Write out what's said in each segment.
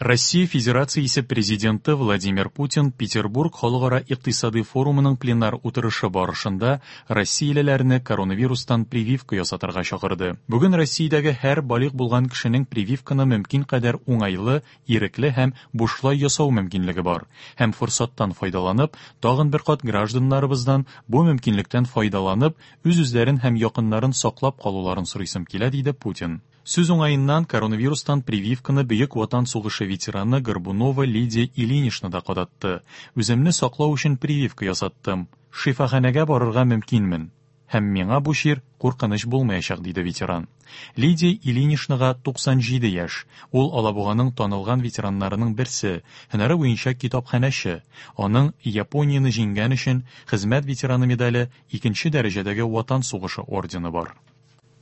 Россия Федерациясе Президенты Владимир Путин Петербург халыкара икътисадый форумының пленар утырышы барышында россиялеләрне коронавирустан прививка ясатырга чакырды. Бүген Россиядәге һәр балигъ булган кешенең прививканы мөмкин кадәр уңайлы, ирекле һәм бушлай ясау мөмкинлеге бар. Һәм форсаттан файдаланып, тагын бер кат гражданнарыбыздан бу мөмкинлектән файдаланып, үз-үзләрен һәм якыннарын саклап калуларын сорыйсым килә, диде Путин. Сүз уңаеннан, коронавирустан прививканы Бөек Ватан сугышы ветераны Горбунова Лидия Ильинична да кадатты. Үземне саклау өчен прививка ясаттым. Шифаханәгә барырга мөмкинмен. Һәм миңа бу чир куркыныч булмаячак, диде ветеран. Лидия Ильиничнага 97 яшь. Ул Алабуганың танылган ветераннарының берсе, һөнәре буенча китапханәче. Аның Японияне җиңгән өчен Хезмәт ветераны медале, икенче дәрәҗәдәге Ватан сугышы ордены бар.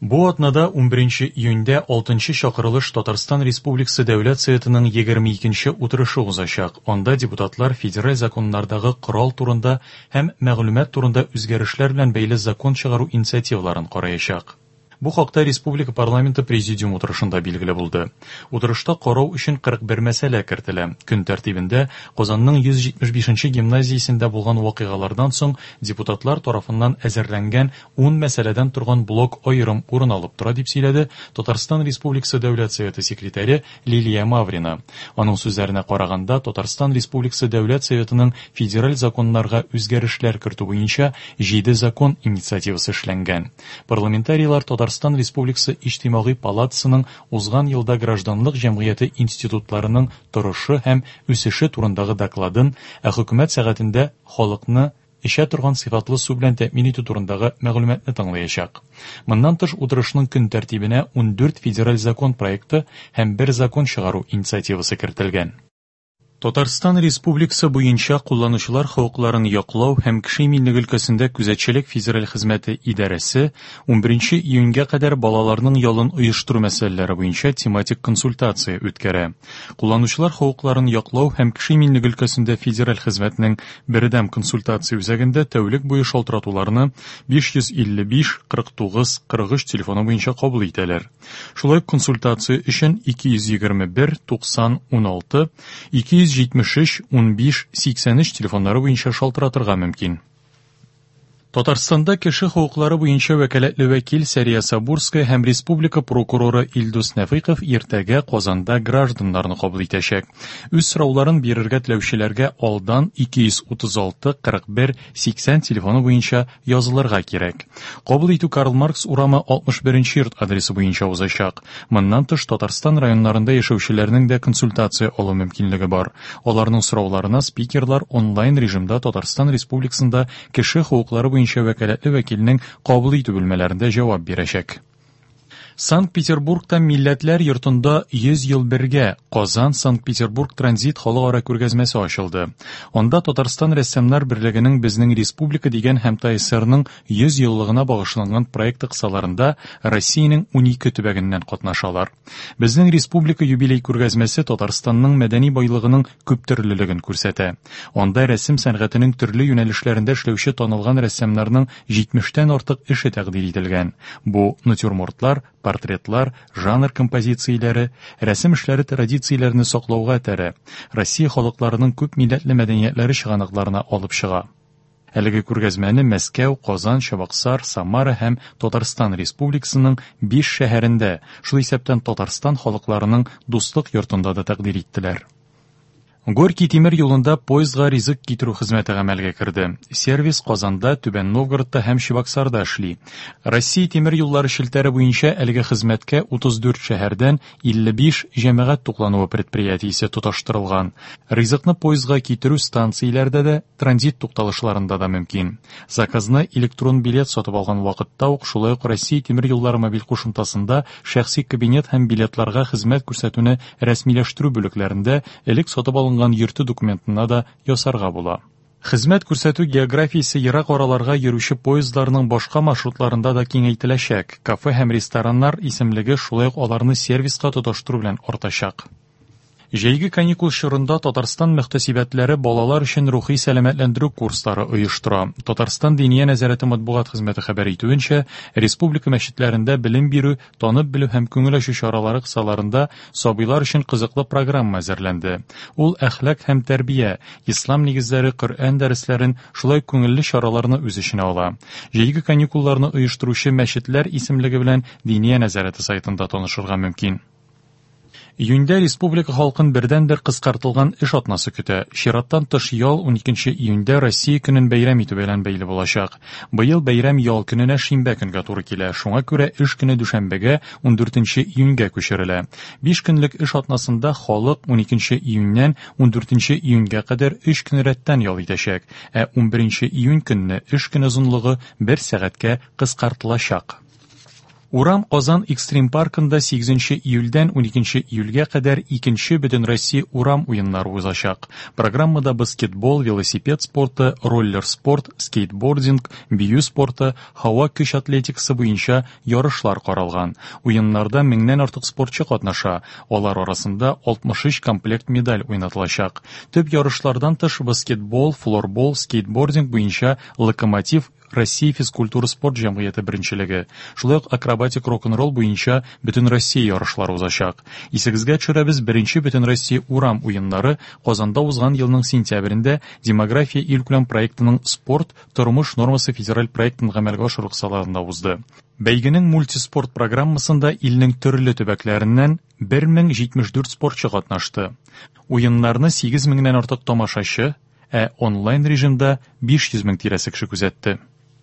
Бу атнада 11 июньдә 6 чакырылыш Татарстан Республикасы Дәүләт Советының 22 утырышы узачак. Анда депутатлар федераль законнардагы корал турында һәм мәгълүмат турында үзгәрешләр белән бәйле закон чыгару инициативаларын караячак. Бу хакта республика парламенты президиум утырышында билгеле булды. Утырышта карау өчен 41 мәсьәлә кертелә. Көн тәртибендә Казанның 175 гимназиясендә булган вакыйгалардан соң депутатлар тарафыннан әзерләнгән 10 мәсьәләдән торган блок аерым урын алып тора, дип сөйләде Татарстан Республикасы Дәүләт Советы секретаре Лилия Маврина. Аның сүзләренә караганда, Татарстан Республикасы Дәүләт Советының федераль законнарга үзгәрешләр кертү буенча 7 закон инициативасы эшләнгән. Парламентарийлар Татарстан Республикасы Иҗтимагый палатасының узган елда гражданлык җәмгыяте институтларының торышы һәм үсеше турындагы докладын, ә хөкүмәт сәгатендә халыкны эчә торган сыйфатлы су белән тәэмин итү турындагы мәгълүматны тыңлаячак. Моннан тыш утырышның көн тәртибенә 14 федераль закон проекты һәм бер закон чыгару инициативасы кертелгән. Татарстан Республикасы буенча кулланучылар хокукларын яклау һәм кеше иминлеге өлкәсендә күзәтчелек федераль хезмәте идарәсе 11 июньгә кадәр балаларның ялын оештыру мәсьәләләре буенча тематик консультация үткәрә. Кулланучылар хокукларын яклау һәм кеше иминлеге өлкәсендә федераль хезмәтнең Бердәм консультация үзәгендә тәүлек буе шалтыратуларны 555 49 43 телефоны буенча кабул итәләр. Шулай ук консультация өчен 221 90 16, 273 15 83 телефоннары буенча шалтыратырга мөмкин. Татарстанда кеше хокуклары буенча вәкаләтле вәкил Сәрия Сабурская һәм республика прокуроры Илдус Нәфыйков иртәгә Казанда гражданнарны кабул итәчәк. Үз сорауларын бирергә теләүчеләргә алдан 236 41 80 телефоны буенча язылырга кирәк. Кабул итү Карл Маркс урамы 61 нче йорт адресы буенча узачак. Моннан тыш, Татарстан районнарында яшәүчеләрнең дә консультация алу мөмкинлеге бар. Аларның сорауларына спикерлар онлайн режимда Татарстан Республикасында кеше хокуклары буенча вәкаләтле вәкилнең кабул итү бүлмәләрендә җавап бирәчәк. Санкт-Петербургта Милләтләр йортында 100 ел бергә Казан Санкт-Петербург транзит халыкара күргәзмәсе ачылды. Анда Татарстан рәссамнар берлегенең Безнең республика дигән һәм ТАССРның 100 еллыгына багышланган проекты кысаларында Россиянең 12 төбәгеннән катнашалар. Безнең республика юбилей күргәзмәсе Татарстанның мәдәни байлыгының күптөрлелеген күрсәтә. Анда рәсем сәнгатенең төрле юнәлешләрендә эшләүче танылган рәссамнарның 70-тән артык эше тәкъдир ителгән. Бу натюрмортлар, портретлар, жанр композицияләре, рәсем эшләре традицияләрне саклауга этәрә, Россия халыкларының күпмилләтле мәдәниятләре чыганакларына алып чыга. Әлеге күргәзмәне Мәскәү, Казан, Чабаксар, Самара һәм Татарстан Республикасының биш шәһәрендә, шул исәптән Татарстан халыкларының Дуслык йортында да тәкъдир иттеләр. Горький тимер юлында поездга ризык китерү хезмәте гамәлгә керде. Сервис Казанда, Түбән Новгородта һәм Чебоксарда эшли. Россия тимер юллары челтәре буенча әлеге хезмәткә 34 шәһәрдән 55 җәмәгать туклануы предприятиесе тоташтырылган. Ризыкны поездга китерү станцияләрдә дә, транзит тукталышларында да мөмкин. Заказны электрон билет сатып алган вакытта ук шулай ук Россия тимер юллары мобиль кушымтасында шәхси кабинет һәм билетларга хезмәт күрсәтүне рәсмиләштерү бүлекләрендә элек сатып алынган йөртү документына да ясарга була. Хезмәт күрсәтү географиясе ерак араларга йөрүче поездларның башка маршрутларында да киңәйтеләчәк. Кафе һәм рестораннар исемлеге шулай ук аларны сервиска тоташтыру белән артачак. Җәйге каникул чорында Татарстан мөхтәсибәтләре балалар өчен рухи сәламәтләндерү курслары оештыра. Татарстан Диния нәзарәте матбугат хезмәте хәбәр итүенчә, республика мәчетләрендә белем бирү, танып белү һәм күңел ачу чаралары кысаларында сабыйлар өчен кызыклы программа әзерләнде. Ул әхлак һәм тәрбия, ислам нигезләре, Коръән дәресләрен, шулай ук күңелле чараларны үз эченә ала. Җәйге каникулларны оештыручы мәчетләр исемлеге белән Диния нәзарәте сайтында танышырга мөмкин. Июньдә республика халкын бердәнбер кыскартылган эш атнасы көтә. Чираттан тыш ял 12 июньдә Россия көнен бәйрәм итү белән бәйле булачак. Быел бәйрәм ял көненә шимбә көнгә туры килә, шуңа күрә эш көне дүшәмбегә, 14 июньгә күчерелә. Биш көнлек эш атнасында халык 12 июньнән 14 июньгә кадәр өч көн рәттән ял итәчәк, ә 11 июнь көнне эш көне озынлыгы бер сәгатькә кыскартылачак. Урам Казан экстрим паркында 8 июльдән 12 июльгә кадәр икенче Бөтенроссия урам уеннары узачак. Программада баскетбол, велосипед спорты, роллер спорт, скейтбординг, бию спорты, һава көч атлетикасы буенча ярышлар каралган. Уеннарда меңнән артык спортчы катнаша. Алар арасында 63 комплект медаль уйнатылачак. Төп ярышлардан тыш баскетбол, флорбол, скейтбординг буенча Локомотив Россия физкультура спорт җәмгыяте беренчелеге, шулай ук акробатик рок-н-ролл буенча Бөтенроссия ярышлары узачак. Исегезгә төшерәбез, беренче Бөтенроссия урам уеннары Казанда узган елның сентябрендә Демография илкүләм проектының Спорт, тормыш нормасы федераль проектын гамәлгә ашыру кысаларында узды. Бәйгенең мультиспорт программасында илнең төрле төбәкләреннән 1074 спортчы катнашты. Уеннарны 8 меңнән артык тамашачы, ә онлайн режимда 500 мең тирәсе кеше күзәтте.